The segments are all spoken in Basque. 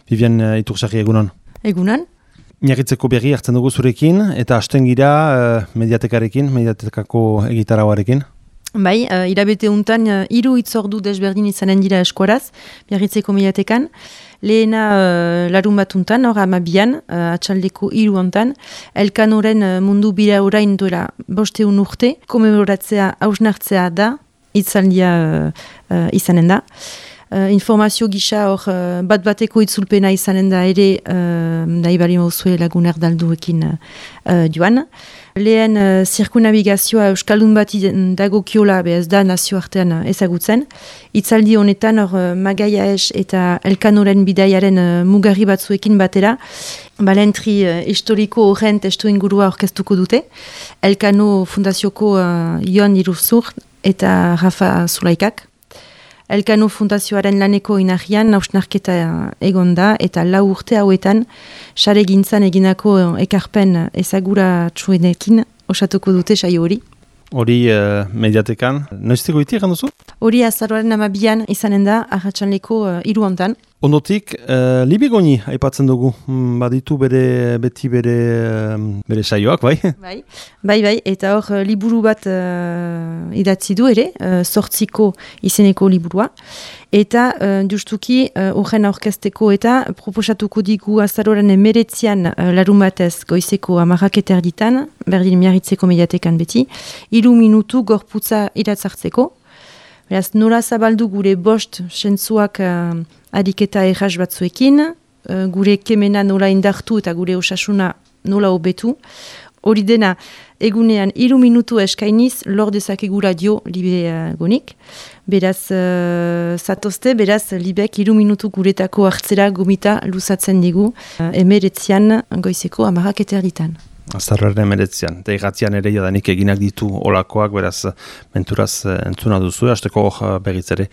Vivian Itursarri egunon. Egunon. Miarritzeko berri hartzen dugu zurekin, eta hasten gira mediatekarekin, mediatekako egitarauarekin. Bai, irabete untan, 3 hitzordu desberdin izanen dira eskuaraz, Miarritzeko mediatekan. Lehena larun bat untan, hor amabian, atxaldeko 3 ontan, Elkanoren mundu bira orain duela 5 urte, komemoratzea hausnartzea da, hitzaldia izanen da. Informazio gisa hor bat-bateko itzulpena izanen da ere nahi bali mauzue lagun erdalduekin joan. Lehen zirkunabigazioa Euskaldun bat dagokiola ez da nazioartean ezagutzen. Itzaldi honetan hor Magaia Es eta Elkanoren bidaiaren mugarri batzuekin batera balentri historiko horren testu ingurua orkestuko dute. Elkano fundazioko Jon Iruzur eta Rafa Zulaikak. Elkano Fundazioaren laneko inahian hausnarketa egon da eta 4 urte hauetan sare gintzan eginako ekarpen ezaguratsuenekin osatuko dute saio hori. Hori mediatekan, noizteko iti egan duzu? Hori azaroaren 12an izanen da arratsaleko 3 ontan. Ondotik, Libigoni aipatzen dugu, baditu beti bere saioak, bai? Bai, eta hor liburu bat idatzi du ere, 8 izeneko liburua, eta justuki horren aurkezteko eta proposatuko digu azaroaren 19an larun batez goizeko 10 erditan, berdin Miarritzeko mediatekan beti, 3 minutu gorputza iratzartzeko. Beraz, nola zabaldu gure 5 sentzuak adiketa erraz batzuekin, gure kemena nola indartu eta gure osasuna nola hobetu. Hori dena, egunean 3 minutu eskainiz, lor dezakegu radio Libe gonik. Beraz, zatozte, beraz, Libek 3 minutu guretako hartzera gomita luzatzen digu, 19an goizeko 10 erditan. Azarraren emeretzean, eta egatzean ere jadanik eginak ditu olakoak, beraz, menturaz entzuna duzue, hasteko berriz ere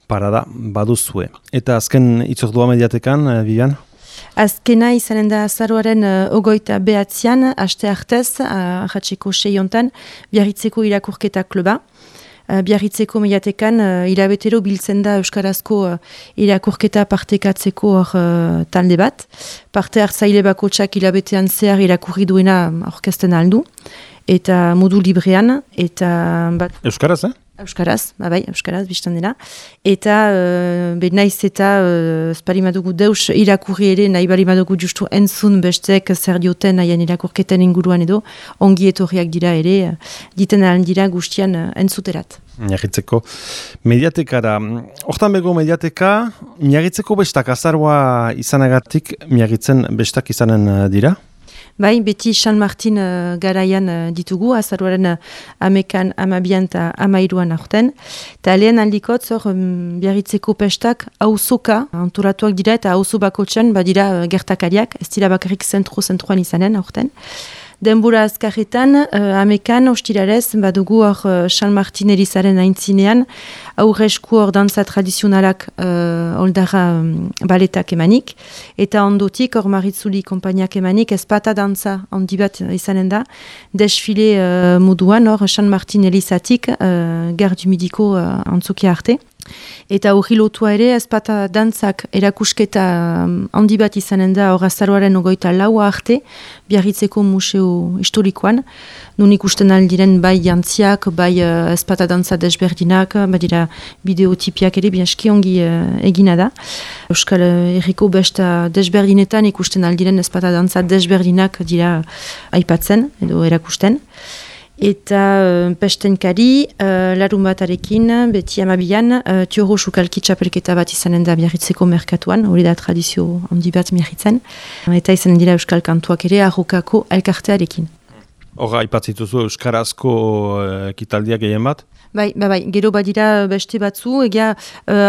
parada baduzue. Eta azken itzordua mediatekan, Vivian? Azkena izanen da azaroaren 29an, aste hartez, ahatzeko 6 ontan, Biarritzeko irakurketa kluba. Biarritzeko mediatekan hilabetero biltzen da Euskarazko irakurketa partekatzeko talde bat. Parte hartzaile bakotsak hilabetean zehar irakurri duena aurkezten aldu. Eta modu librean. Euskaraz, Euskaraz, Euskaraz, biztan dena. Eta naiz eta esparimadugu deus irakurri ere, nahi balimadugu justu entzun bestek zer dioten haien irakurketen inguruan edo, ongi etorriak dira ere, diten ahal dira guztian entzuterat. Miarritzeko mediatekara. Hortan bego mediateka, Miarritzeko bestak azaroa izanagatik, Miarritzen bestak izanen dira? Bai, beti San Martin garaian ditugu, azaroaren 11an, 12an eta 13an aurten. Eta lehen aldikotz hor Biarritzeko pestak auzoka antolatuak dira eta auzo bakotxan badira gertakariak, ez dira bakarrik zentroan izanen aurten. Denbora azkarretan, 11an ostirarez, badugu hor San Martin Elizaren aintzinean, aurresku hor dantza tradizionalak oldara baletak emanik, eta ondotik hor Maritzuli konpainiak emanik, ezpata dantza handi bat izanen da, desfile moduan hor San Martin Elizatik Gardu Midiko antzokia arte. Eta hori lotua ere, ezpata dantzak erakusketa handi bat izanen da hor azaroaren 24 arte, Biarritzeko museo historikoan, nun ikusten aldiren bai jantziak, bai ezpata dantza desberdinak, badira bideotipiak ere, biaski ongi egina da. Euskal Herriko besta desberdinetan ikusten aldiren ezpata dantza desberdinak dira aipatzen edo erakusten. Eta pestenkari, larun batarekin, beti 12an, Tioro Sukalki txapelketa bat izanen da Biarritzeko merkatuan, hori da tradizio handi bat Biarritzen, eta izanen dira Euskal Kantuak ere arrokako elkartearekin. Hora, aipatzituzu Euskarazko ekitaldiak gehien bat? Bai, gero badira beste batzu, egia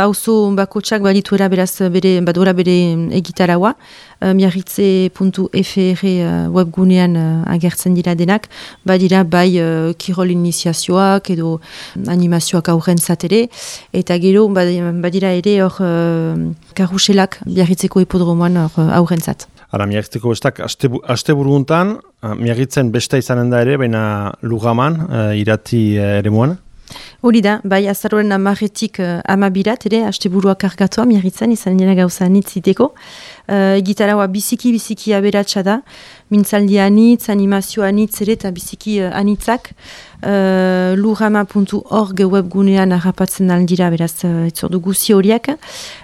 auzo bakotsak badituera beraz badora bere egitaraua, miarritze.fr webgunean agertzen dira denak, badira bai kirol iniziazioak edo animazioak aurren zatere, eta gero badira ere hor karuselak Biarritzeko hipodromoan aurren zat. Ara, Miarritzeko bestak asteburuguntan, Miarritzen besta izanen da ere, baina Lugaman, irati ere muan? Hori da, bai, azaroren 10etik 12erat, ere, asteburua kargatua, miarritzen, izan dira gauza anitziteko. Gitaraua biziki aberatsa da, mintzaldi anitz, animazio anitz ere, eta biziki anitzak. Lujama.org webgunean harrapatzen aldira, beraz, etzordu guzi horiak.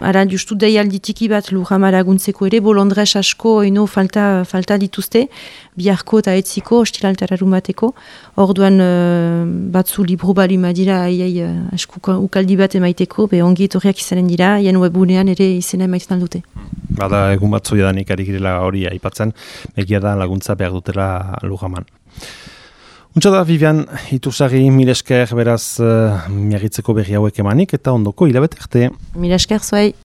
Ara, justu deialditiki bat Lujama laguntzeko ere, bolondres asko eno falta dituzte, biharko eta etziko, ostilaltararun bateko. Orduan batzu libru bali madira, askuka ukaldi bat emaiteko, ongi etorriak izanen dira, hien webgunean ere izena emaiten aldute. Bada egun batzu jadanik ari girela hori aipatzen, egia da laguntza behar dutela Lujaman. Untsa da, Vivian, Iturragi, mil esker beraz miagitzeko berri hauek emanik, eta ondoko hilabete arte. Mil esker zuei.